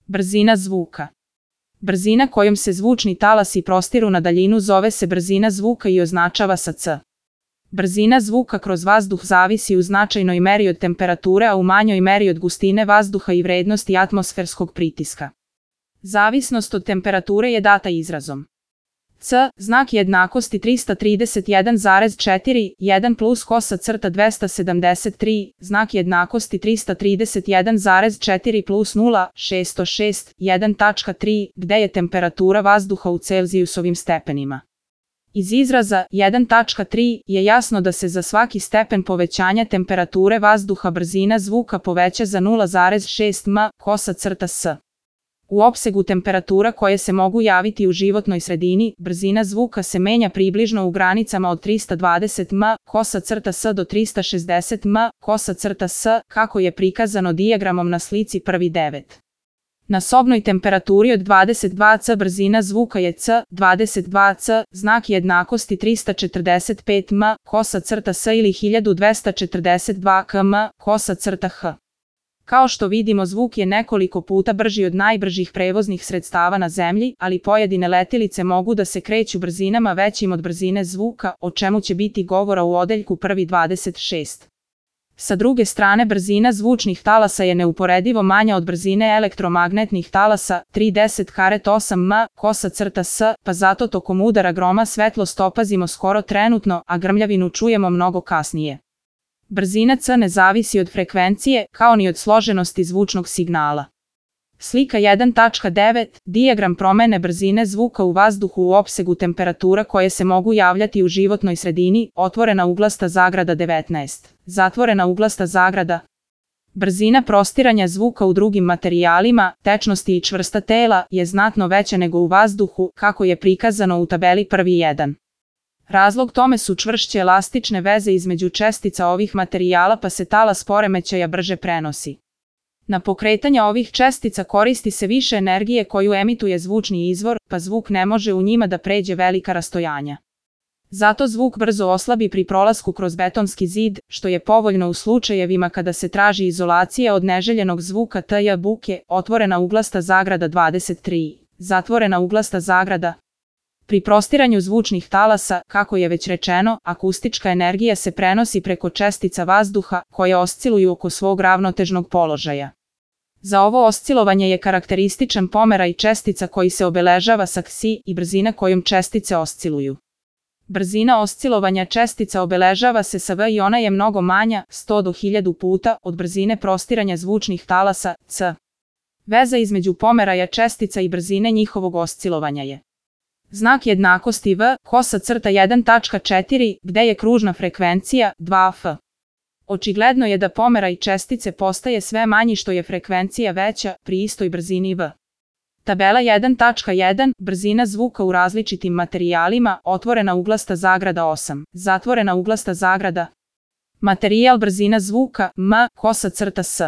Brzina zvuka. Brzina kojom se zvučni talasi prostiru na daljinu zove se brzina zvuka i označava sa c. Brzina zvuka kroz vazduh zavisi u značajnoj meri od temperature, a u manjoj meri od gustine vazduha i vrednosti atmosferskog pritiska. Zavisnost od temperature je data izrazom c, znak jednakosti 331,4, 1 plus kosa crta 273, znak jednakosti 331,4 plus 0, 606, 1.3, gde je temperatura vazduha u Celzijusovim stepenima. Iz izraza 1.3 je jasno da se za svaki stepen povećanja temperature vazduha brzina zvuka poveća za 0,6 m kosa crta s. U opsegu temperatura koje se mogu javiti u životnoj sredini, brzina zvuka se menja približno u granicama od 320 m kosa crta s do 360 m kosa crta s, kako je prikazano dijagramom na slici 1.9. Na sobnoj temperaturi od 22 C brzina zvuka je c, 22 C, znak jednakosti 345 m kosa crta s ili 1242 km kosa crta h. Kao što vidimo, zvuk je nekoliko puta brži od najbržih prevoznih sredstava na zemlji, ali pojedine letilice mogu da se kreću brzinama većim od brzine zvuka, o čemu će biti govora u odeljku 1.26. Sa druge strane, brzina zvučnih talasa je neuporedivo manja od brzine elektromagnetnih talasa, 310,8 m kosa crta s, pa zato tokom udara groma svetlost opazimo skoro trenutno, a grmljavinu čujemo mnogo kasnije. Brzina c ne zavisi od frekvencije, kao ni od složenosti zvučnog signala. Slika 1.9. Dijagram promene brzine zvuka u vazduhu u opsegu temperatura koje se mogu javljati u životnoj sredini, otvorena uglasta zagrada 19, zatvorena uglasta zagrada. Brzina prostiranja zvuka u drugim materijalima, tečnosti i čvrsta tela je znatno veća nego u vazduhu, kako je prikazano u tabeli 1.1. Razlog tome su čvršće elastične veze između čestica ovih materijala, pa se talas poremećaja brže prenosi. Na pokretanje ovih čestica koristi se više energije koju emituje zvučni izvor, pa zvuk ne može u njima da pređe velika rastojanja. Zato zvuk brzo oslabi pri prolasku kroz betonski zid, što je povoljno u slučajevima kada se traži izolacija od neželjenog zvuka tj. buke, otvorena uglasta zagrada 23, zatvorena uglasta zagrada. Pri prostiranju zvučnih talasa, kako je već rečeno, akustička energija se prenosi preko čestica vazduha, koje osciluju oko svog ravnotežnog položaja. Za ovo oscilovanje je karakterističan pomeraj čestica koji se obeležava sa ksi i brzina kojom čestice osciluju. Brzina oscilovanja čestica obeležava se sa v i ona je mnogo manja, 100 do 1000 puta, od brzine prostiranja zvučnih talasa, c. Veza između pomeraja čestica i brzine njihovog oscilovanja je znak jednakosti v, kosa crta 1.4, gde je kružna frekvencija 2f. Očigledno je da pomeraj čestice postaje sve manji što je frekvencija veća pri istoj brzini v. Tabela 1.1, brzina zvuka u različitim materijalima, otvorena uglasta zagrada 8, zatvorena uglasta zagrada. Materijal brzina zvuka, m, kosa crta s.